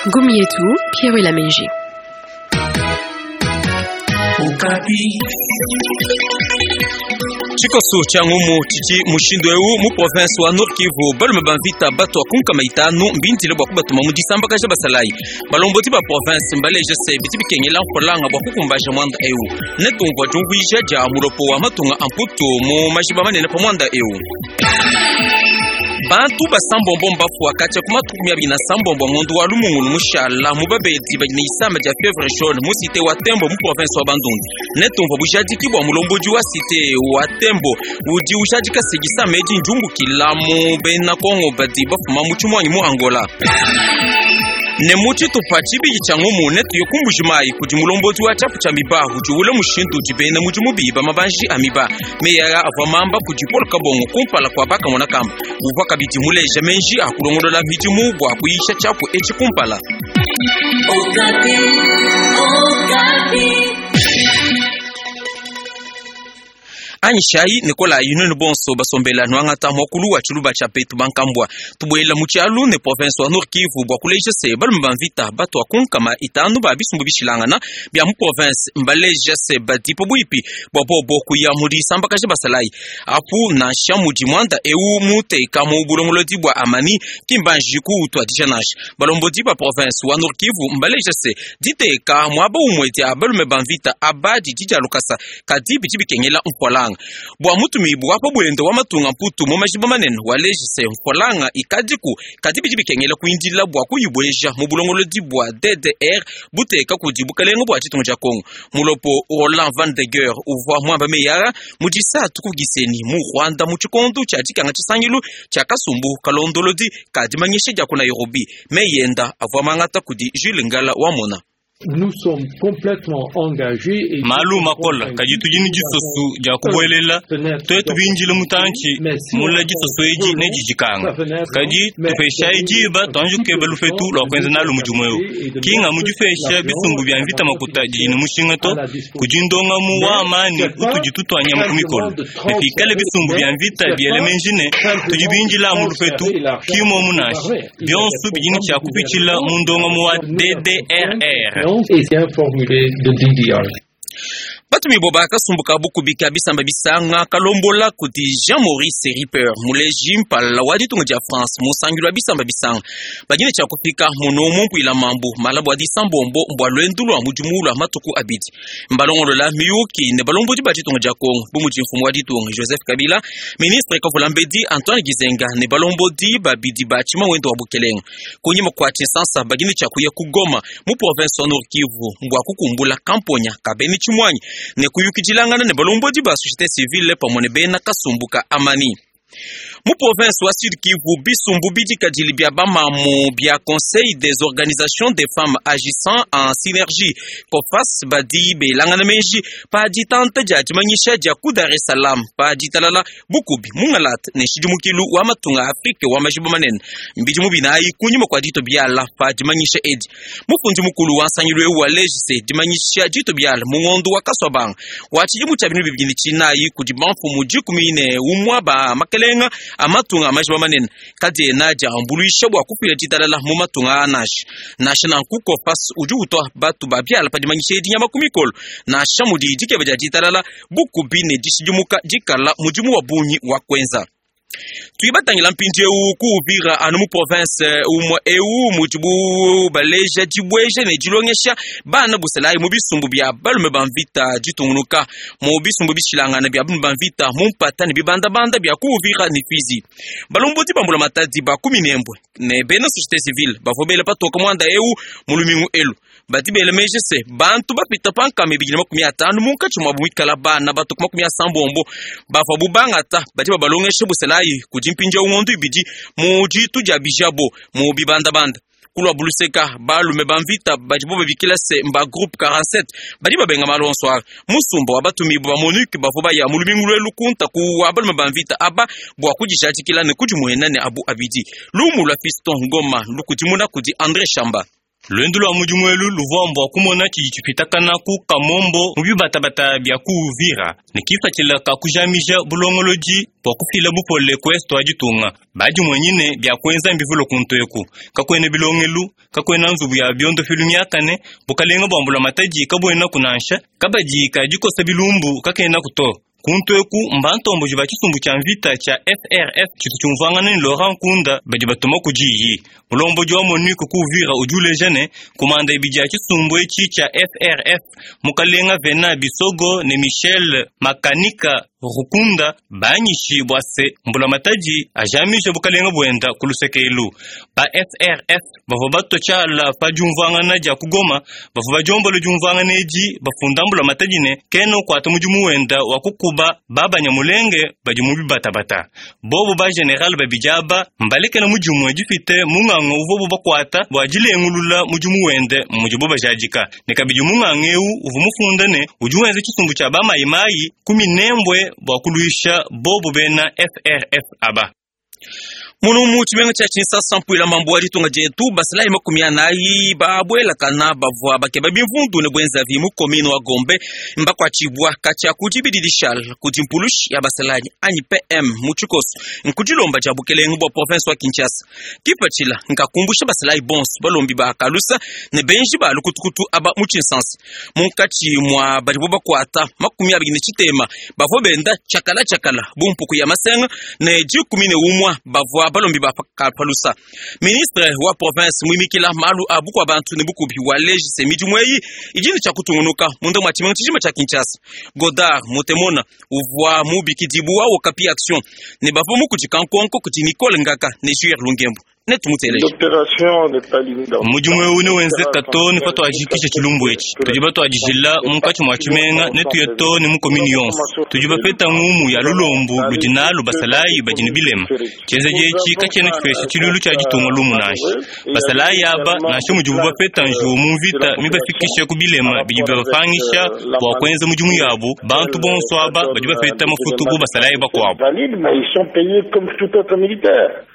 Ngumu yetu Pierre Lamenji. Tshikoso tshia ngumu tshidi mushindu eu mu province wa Nord Kivu balume ba mvita batua ku nkama itanu mbindile bua kubatuma mu disambakaja basalayi. Balombodi ba province mbaleje se bidi bikengela mfulanga bua kukumbaja muanda eu. Netumvua diumvuija dia mulopo wa matunga a Mputu mu majiba manene pa muanda eu. Bantu basambombo mbafua katshia ku matuku 26 a ngondo wa Lumungulu mushala mu babedi badi ne isama dia fievre jaune mu cite wa Tembo mu province wa Bandundu. Netumvua bujadiki bua mulombodi wa cite wa Tembo udi ujadika se disama edi ndiumbukila mu bena Kongo badi bafuma mu tshimuangi mu Angola. Ne mu tshitupa tshibidi tshia ngumu netuye ku Mbuji-Mayi kudi mulombodi wa tshiapu tshia miba udi ule mushindu udi bena mudimu biba mabanji a miba. Meyi aa avua mamba kudi Paul Kabongo kumpala kua bakamona kamba. Uvua kabidi muleja meji a kulongolola midimu bua kuyisha tshiapu etshi kumpala. Anyishayi ne kolayi nuenu bonso basombela nuangata muakulu wa tshiluba tshia petu bankambua. Tubuela mu tshialu ne province wa Nord Kivu bua kuleja se balume ba mvita batua ku nkama itanu ba bisumbu bishilangana bia mu province mbaleja se badi pabuipi bua bobo kuya mu disambakaja basalayi. Apu nansha mudi muanda eu muteka mu bulongolodi bua Amani ki mbanji kuutuadija nansha. Balombodi ba province wa Nord Kivu mbaleja se diteka muaba umue dia balume ba mvita aba didi dia lukasa kadi bidi bikengela mfualanga. Bua mutumibu wa pa buende wa matunga Mputu mu majiba manene waleji se mfualanga ikadiku kadi bidi bikengela kuindila bua kuyibueja mu bulongolodi bua DDR buteka kudi bukalenga bua ditunga dia Kongo. Mulopo Roland Van de Geer uvua muamba meyi aa mu disatu ku Gisenyi mu Rwanda mu tshikondo tshia dikanga tshisangilu tshia kasumbu kalondolodi ka dimanyisha dia ku Nairobi. Meyi enda avua mangata kudi Jules Ngala wamona. Malu makola kadi tudi ne disosu dia kubuelela tuetu bindile mutantshi mula disosu edi ne didikanga kadi tupeshayi diba tuanji kukeba lupetu lua kuenza nalu mudimu eu kinga mudipesha bisumbu bia mvita makuta didi ne mushinga to kudi ndongamu wa amani utudi tutua nyama ku mikolo ne pikale bisumbu bia mvita biele menji ne tudi bindila mu lupetu kimomu nansha bionso bidi ne tshia kupitshila mu ndongamu wa DDRR. Batumibua ba kasumbu ka bukubi ka bisamba bisanga kalombola kudi Jean-Maurice Ripper muleji mpala wa ditunga dia France mu nsangilu wa bisamba bisanga badi ne tshia kufika muno mu mpuila mambu malaba wa disambombo mbua luendu lua mudimu lua matuku abidi. Mbalongolola miyuki ne balombodi ba ditunga dia Kongo bu mudi mfumu wa ditunga Joseph Kabila, ministre kavula mbedi Antoine Gizenga ne balombodi babidi ba tshimawendo wa bukelenga. Kunyima kua tshinsansa badi ne tshia kuya ku Goma mu province wa Nord Kivu mbua kukumbula kamponya ka bena tshimuanyi ne kuyukidilangana ne balombodi ba société civile pamue ne bena kasumbu ka Amani. Mu province wa Sud Kivu, bisumbu bidikadili bia bamamu bia Conseil des organisations des femmes agissant en synergie COFAS badi belangana meji pa ditanta dia dimanyisha dia ku Dar es Salaam pa ditalala bukubi mungalata ne nshidimukilu wa matunga a Afrike wa majiba manene mbidimu binayi kunyima kua dito biala pa dimanyisha edi. Mufundi mukulu wa nsangilu eu waleji se dimanyisha dito biala mu ngondo wa Kasuabanga wa tshidimu tshia 2024 kudi bamfumu 11 ba makelenga a matunga a majiba manene kadiena diambuluisha bua kufila ditalala mu matunga a nansha. Nansha nanku COFAS udi utua batu ba biala pa dimanyisha edi nyama ku mikolo nansha mudi dikeba dia ditalala bukubi ne dishidimuka dikala mudimu wa bungi wa kuenza. Tudi batangila mpindieu ku Uvira anu mu province umue eu mudibu baleja dibueja ne dilongesha bana busalayi mu bisumbu bia balume ba mvita ditungunuka mu bisumbu bishilangana bia balume ba mvita mu mpata ne bibandabanda bia ku Uvira ne Fizi. Balombodi ba mbulamatadi ba ku Minembwe ne bena société civile bavua bela patoka muanda eu mu lumingu elu. Badi bela meji se bantu bapita pa nkama 250 munkatshi muabu muikala bana batu ku 80 bavuabu bangata badi babalongesha busalayi kudi mpindieu ngondo ibidi mu ditu dia bijabo mu bibandabanda. Kulua buluseka balume ba mvita badibo babikila se mba groupe 47 badi babenga malu onso aa. Musumba wa batumibu ba MONUC bavua baya mu lumingu luelu kunta ku wa balume ba mvita aba bua kudijadikila ne kudimuena ne abu abidi. Lumu lua Fiston Ngoma lukudimuna kudi Andre Shamba. Luendu lua mudimu elu luvua mbua kumona tshidi tshipitakana ku Kamombo mu bibatabata bia ku Uvira ne kipatshila ka kujamija bulongolodi bua kufila bupole ku est wa ditunga. Badimuenyine bia kuenza mbivule kuntu eku, kakuena bilongelu, kakuena nzubu ya biondopilu miakane, bukalenga bua mbulamatadi kabuenaku nansha, kabadi ka dikosa bilumbu kakenaku to. Kuntu eku mbantomboji ba tshisumbu tshia mvita tshia FRF tshitu tshiumvuangana ne Laurent Nkunda badi batuma ku diyi. Mulombodi wa MONUC ku Uvira udi uleja ne, kumanda ibidi ya tshisumbu etshi tshia FRF, mukalenga Venant Bisogo ne Michel Makanika Rukunda banyishi bua se mbulamatadi ajamija bukalenga buenda ku luseke elu. Ba FRF bavua batua tshiala pa diumvuangana dia ku Goma bavua badiombola diumvuangana edi bafunda mbulamatadi ne kena ukuata mudimu wenda wa kukuba babanyamulenge badi mu bibatabata. Bobu ba general babidi aba mbalekela mudimu dipite munganga uvuabu bakuata bua dilengulula mudimu wende mudibu bajadika ne kabidi munganga eu uvua mufunda ne udi wenza tshisumbu tshia bamayimayi ku Minembwe bua kuluisha bobu bena FRF aba. Munu mu tshimenga tshia Tshinsansa mpuila mambu wa ditunga dietu basalayi 40 babuelakana bavua bakeba bimvundu ne bwenzavi mu commune wa Gombe mbakuatshibua katshia ku dibidi dishal kudi mpulushi ya basalayi anyi PM mu tshikoso nkudilomba dia bukelenge bua province wa Kinshasa. Kipatshila nkakumbusha basalayi bonso balombi ba kalusa ne benji ba lukutukutu aba mu Tshinsansa. Munkatshi mwa badibo bakuata 23 bavua benda tshakala tshakala bu mpuku ya masenga ne 11 bavua balombi ba kapalusa. Ministre wa province muimikila malu a bukua bantu ne bukubi wa lejise midimu eyi idi ne tshia kutungunuka munda mua tshimenga tshijima tshia Kinshasa. Godard Mutemona uvua mubikidibu wa Okapi Action ne bavua mukudika nkonko kudi Nicole Ngaka ne Jules Lungembo. Mudimu eu newenzeka to ne patuajikisha tshilumbu etshi. Tudi batuadijila munkatshi mua tshimenga ne tuye to ne mu komini yonso. Tudi bapeta ngumu ya lulombu ludi nalu basalayi badi ne bilema. Tshienzedi etshi katshiena tshipesha tshilulu tshia ditunga lumu nansha. Basalayi aba nansha mudibu bapeta njiwu mu mvita mibafikishe ku bilema bidi bibapangisha bua kuenza mudimu yabu, bantu bonso aba badi bapeta mafutu bu basalayi bakuabu.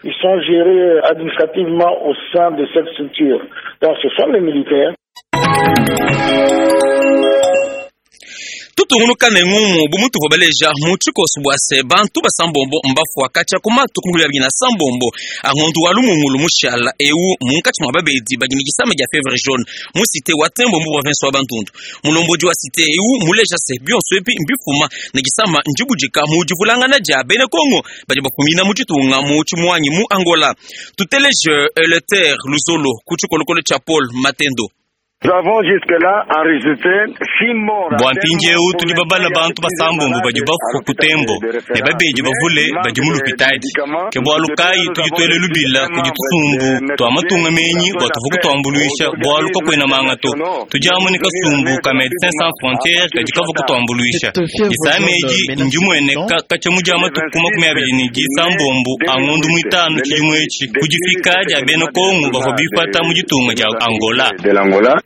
Ils sont gérés administrativement au sein de cette structure. Donc ce sont les militaires. Tutungunuka ne ngumu bu mutuvua baleja mu tshikoso bua se bantu basambombo mbafua katshia ku matuku 29 a ngondu wa lumungulu mushala eu munkatshi mua babedi badi ne disama dia fievre jaune mu cité wa Tembo mu province wa Bandundu. Mulombodi wa cité eu muleja se bionso ebi mbifuma ne disama ndibudika mu divulangana dia bena Kongo badi bafumina mu ditunga mu tshimuanyi mu Angola. Tuteleje Eleuthère Luzolo ku tshikolokolo tshia Paul Matendo. Bua mpindieu tudi babala bantu basambombo badi bafua ku Tembo ne babedi bavule badi mu lupitadi. Ke bualu kayi tudi tuele lubila kudi tusumbu tua matunga menyi bua tuvua kutuambuluisha bualu kakuena manga to. Tudi amu ne kasumbu ka Medecins Sans Frontieres kadi kavua kutuambuluisha. Disama edi ndimueneka katshia mu dia matuku 29 a ngondu muitanu tshidimu etshi ku difika dia bena Kongo bavua bipata mu ditunga dia Angola.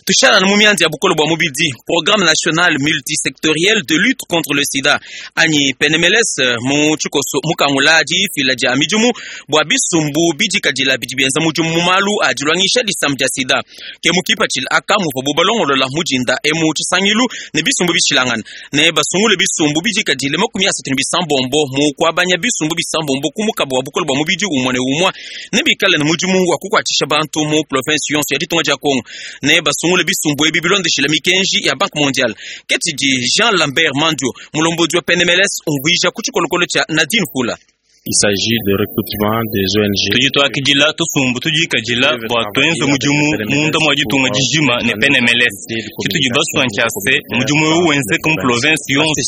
Tushala na mu mianzi ya bukolo bua mubidi programme national multisectoriel de lutte contre le sida anyi PNMLS mu tshikoso mukangula difila dia midimu bua bisumbu bidikadila bidi bienza mudimu mu malu a dilwangisha disama dia sida. Ke mukipatshila aka muvua bubalongolola mudinda emu tshisangilu ne bisumbu bishilangana ne basungule bisumbu bidikadile 36 mu kuabanya bisumbu bisambombo ku mukaba wa bukolo bua mubidi umwe ne umwe ne bikale ne mudimu wa kukuatshisha bantu mu province yonso ya ditunga dia Kongo ne basungule bisumbu ebi bilondeshila mikenji ya Banque mondiale. Ketidi Jean Lambert Mandio mulombodi wa PNMLS umvuija ku tshikolokolo tshia Nadine Fula. Il s'agit de recrutement des ONG. Tudi tuakidila tusumbu tudikadila bua tuenze mudimu munda mua ditunga dijima ne PNMLS. Tshitudi basua ntshia se mudimu eu wenzeka mu province yonso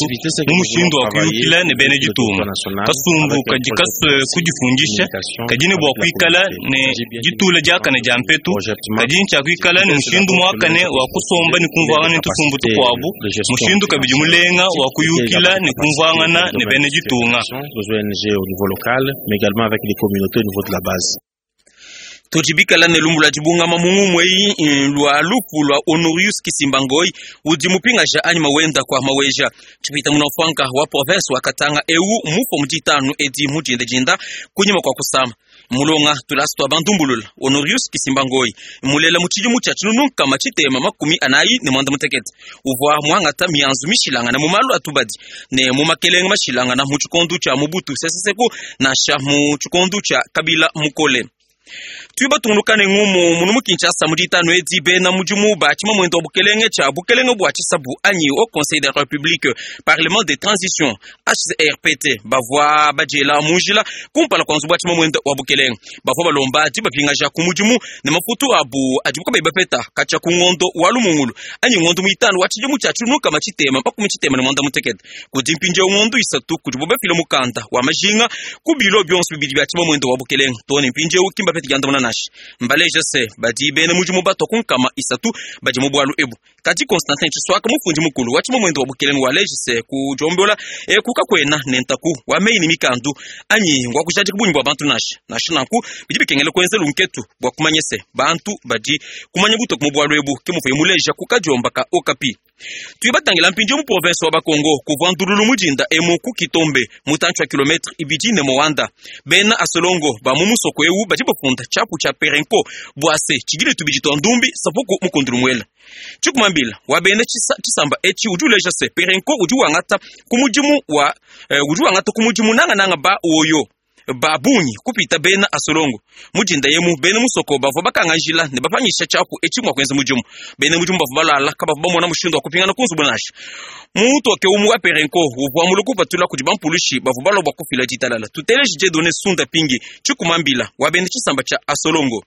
mu mushindu wa kuyukila ne bena ditunga. Kasumbu kadi kasue kudifundisha kadi ne bua kuikala ne ditula diakane dia mpetu kadi ntshia kuikala ne mushindu muakane wa kusomba ne kumvuangana ne tusumbu tukuabu mushindu kabidi mulenga wa kuyukila ne kumvuangana ne bena ditunga. Les ONG au niveau local, mais également avec les communautés au niveau de la base. Tujibikala ne lumbu lua dibungama mu ngumu eyi lua lufu lua Honorius Kisimba-Ngoi udi mupingaja anyi mawenda kwa maweja tshipita munafwanka wa province wa Katanga eu mufo mu ditanu edi mu dindadinda kunyima kwa kusama. Mulonga tulasa tua bandumbulula Honorius Kisimba Ngoyi mulela mu tshidimu tshia 1948 uvua muangata mianzu mishilangana mu malu a tubadi ne mu makelenge mashilangana mu tshikondo tshia Mobutu Sese Seko nansha mu tshikondo tshia Kabila Mukole. Tudi batungunuka ne ngumu munu mu Kinshasa mu ditanu edi bena mudimu ba tshimamuende wa bukelenge tshia bukelenge bua tshisabu anyi Haut Conseil de la République Parlement de Transition HCRPT bavua badiela mu njila kumpala kua nzubu wa tshimamuende wa bukelenge. Bavua balomba dibapingaja ku mudimu ne mafutu abu adibu kabayi bapeta katshia ku ngondo wa Lumungulu anyi ngondo muitanu wa tshidimu tshia 1968. Kudi mpindieu ngondo 3 kudibu bafile mukanda wa majinga ku bilo bionso bibidi bia tshimamuende wa bukelenge too ne mpindieu ki mbapete diandamuna nansha. Mbaleja se badi bena mudimu batua ku 300 badi mu bualu ebu. Kadi Constantin Tshiswaka mufundi mukulu wa tshimamuende wa bukelenge waleja se kudiombola eku kakuena ne ntaku wa meyi ne mikandu anyi ngwa kujadika bungi bua bantu nansha. Nansha nanku bidi bikengela kuenza lunketu bua kumanya se bantu badi kumanya butoke mu bualu ebu, ke muvuye muleja ku kadiomba ka Okapi. Tudi batangila mpindieu mu province wa Bakongo kuvua ndululu mudinda emu ku Kitombe mutantshi wa kilometre 2 ne Moanda. Bena Asolongo ba mu musoko eu badi bafunda tshiapu tshia Perenco bua se tshidile tubidi tua ndumbi sapuku mukundulu muela. Tshikumambila wa bena tshisamba etshi udi uleja se Perenco udi wangata ku mudimu wa udi wangata ku mudimu nangananga ba oyo ba bungi kupita bena Asolongo. Mudinda yemu bena musoko bavua bakangajila ne bapanyisha tshiapu etshi mua kuenza mudimu. Bena mudimu bavua balala kabavua bamona mushindu wa kupingana ku nzubu nansha. Mutoke umu wa Perenco uvua mulue kupatula kudi bampulushi bavua balua bua kufila ditalala. Tuteleje Dieudonné Sunda Pingi Tshikumambila wa bena tshisamba tshia Asolongo.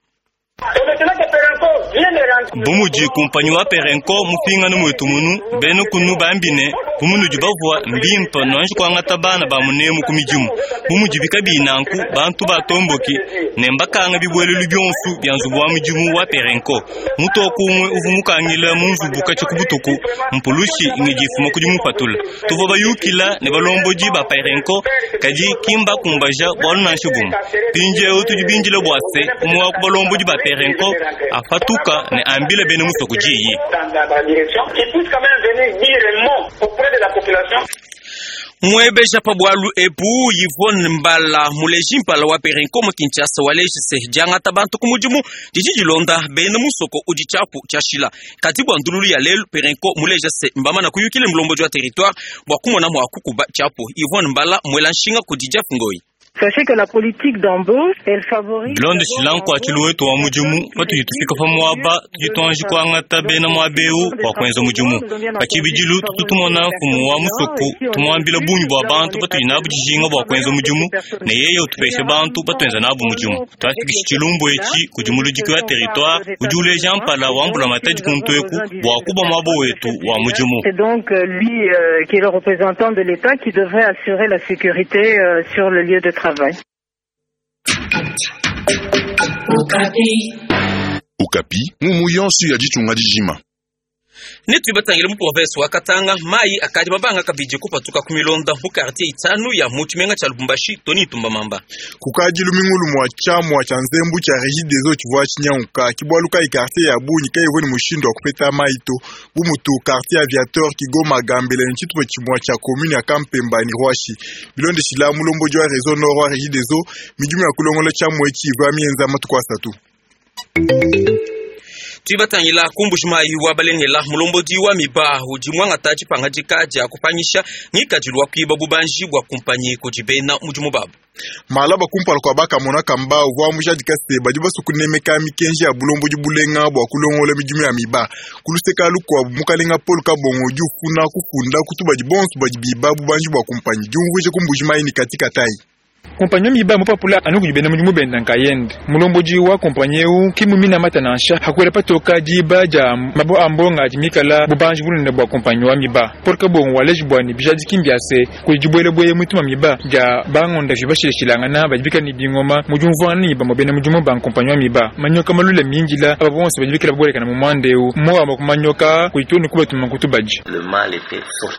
Bu mudi kumpanyi wa Perenco mupingane muetu munu bena kunu bambine bu munudi bavua mbimpa nuanji kuangata bana ba munemu ku midimu. Bu mudi bikabi nanku bantu batomboki ne mbakanga bibuelelu bionso bia nzubu wa mudimu wa Perenco. Mutoku umwe uvu mukangila mu nzubu katshia ku butuku mpulushi ngidifuma kudi mupatula. Tuvua bayukila ne balombodi ba Perenco kadi kimba kumbaja bualu nansha bumwe. Mpindieu tudi bindile bua se umwe wa ku balombodi ba Perenco afatuka ne ambile bena musoko diyi. Mwebeja pa bualu ebu Yvonne Mbala muleji mpala wa Perenco mu Kinshasa waleji se diangata bantu ku mudimu didi dilonda bena musoko udi tshiapu tshiashila. Kadi bua ndululu ya lelu Perenco muleja se mbamana kuyukile mulombodi wa territoire bua kumona mua kukuba tshiapu. Yvonne Mbala mwela nshinga kudi Jeff Ngoi. Sachez que la politique d'embauche, elle favorise Bilonde shilanku achilu wetu wa mudimu patudi tufika pa muaba tudi tuanji kuangata bena muaba eu bua kuenza mudimu. Patshibidilu tutu tumona mfumu wa musoko tumuambila bungi bua bantu patudi nabu dijinga bua kuenza mudimu ne yeye utupesha bantu batuenza nabu mudimu. Twafikisha tshilumbu etshi kudi muludiki wa territoire udi uleja mpala wa mbula matadi kuntu eku bua kuba muaba wetu wa mudimu. C'est donc lui qui est le représentant de l'État qui devrait assurer la sécurité sur le lieu de travail. Okapi ngumu yonso ya ditunga dijima. Netu batangile mu province wa Katanga mai akadi mabanga kabidi kupatuka ku milonda mu quartier itanu ya mu tshimenga tshia Lubumbashi Tony Tumba Mamba. Kukadi lumingulu mwa tshiamua tshia nzembu tshia Regideso tshivua tshinyanguka kibwaluka i quartier ya bungi kayivua ne mushindu wa kupeta mai to. Bu mutu quartier aviateur Kigoma Gambela ne tshitupa tshimua tshia commune ya Kampemba ne Rwashi. Bilondeshila mulombodi wa réseau nord wa Regideso midimu ya kulongola tshiamua etshi ivua mienza matuku asatu. Tuibatangila kumbushi mai wa balengela mulombodi wa miba udi mwangata tshipangadika dia kupanyisha ngikadilu wa kuiba bubanji bua kumpanyi kudi bena mudimu babu. Malaba kumpala kua bakamona kamba uvua mujadika se badi basukunemeka mikenji ya bulombodi bulenga bua kulongola midimu ya miba. Kuluseka lukuabu mukalenga Paul Kabongo udi ufuna kufunda kutubadi bonso badi biba bubanji bua kumpanyi diumvuije kumbushi mai ni katika tai. Kompanyi miba mupapula anu kudi bena mudimu benda nkayende. Mulombodi wa kompanyi eu kimumina mata nansha hakwela patoka diba dia mabo a mbonga adi mikala bubanji bunene bua kompanyi wa miba. Paul Kabongo waleji bua ne bijadiki mbiase kudi dibuelebue mutuma miba dia bangonda vi bashileshilangana badi bikala ne bingoma mu diumvuangana ne bamue bena mudimu ba kompanyi wa miba. Manyoka malula mindila aba bonso badi bikala babolekana mu muanda eu mowa kumanyoka kudi tunu kubatuma kutubadi.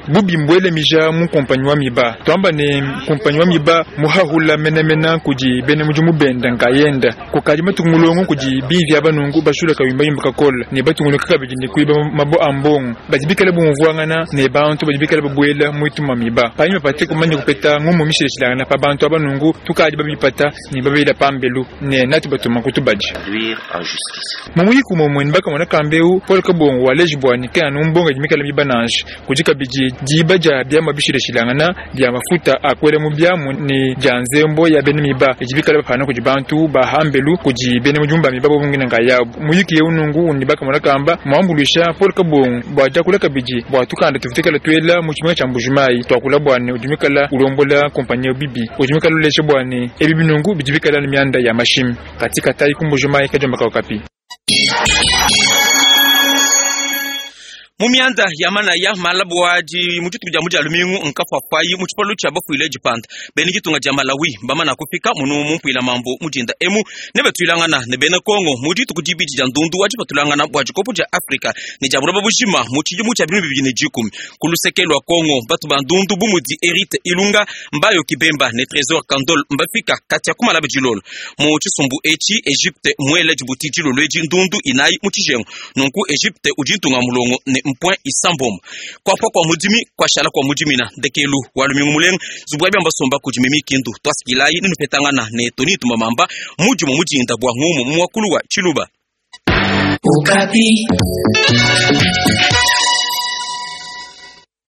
Bubi mbwele mija mu kompanyi wa miba. Twamba ne kompanyi wa miba muhahula mupapula menemene kudi bena mudimu benda nkayenda. Kukadi matuku mulongo kudi bivi aba nunku bashula kayumbayumba kakola ne batunguluka kabidi ne kuiba mabo a mbongo. Badi bikale bumvuangana ne bantu badi bikale babuela mu ituma miba. Panyima pa tuetu kumanya kupeta ngumu mishilashilangana pa bantu aba nunku, tukadi babipata ne babela pambelu ne natu batuma ku tubadi. Mu muyiki umue ne bakamona kamba eu, Paul Kabongo waleji bua ne kena anu mbongo idi mikale miba nansha. Kudi kabidi diba dia biamua bishilashilangana bia mafuta a kuela mu biamu ne dia nzembo ya bena miba idi bikale bapana kudi bantu ba hambelu kudi bena mudimu ba miba bobu ngina nkayabu. Muyiki eu nunku ne bakamona kamba muambuluisha Paul Kabongo bua diakula kabidi bua tukanda tuvua tuikala tuela mu tshimenga tshia Mbuji-Mayi tuakula bua ne udi muikala ulombola kumpanyi eu bibi. Udi muikala uleja bua ne ebi binungu bidi bikala ne mianda ya mashimi. Katika tayi ku Mbuji-Mayi kadiomba ka Okapi. Mu mianda ya manaya malabu adi mu dituku dia mu dia lumingu nkafuafuayi mu tshipalu tshia bafuile dipanda. Bena ditunga dia Malawi mbamana kufika munu mu mpuila mambo mu dinda emu ne batuilangana ne bena Kongo mu dituku dibidi dia ndundu wa dipatulangana bua dikopo dia Afrika ne dia buloba bujima mu tshidimu tshia 2010. Ku luseke lua Kongo batu ba ndundu bu mudi Erite Ilunga, Mbayo Kibemba ne Tresor Kandol mbafika katia ku malabu dilolo. Mu tshisumbu etshi Egypte muele dibuti dilolo edi ndundu inayi mu tshijengu. Nunku Egypte udi ntunga mulongo ne point isambombo. Kuapua kua mudimi kuashala kua mudimina ndekelu wa lumingu mulenga zubu ya biamba somba kudi mimi kindu twasikilayi ninupetangana ne Tony Tumamamba mudimu mudinda bua ngumu mu muakulu wa Tshiluba. Okapi.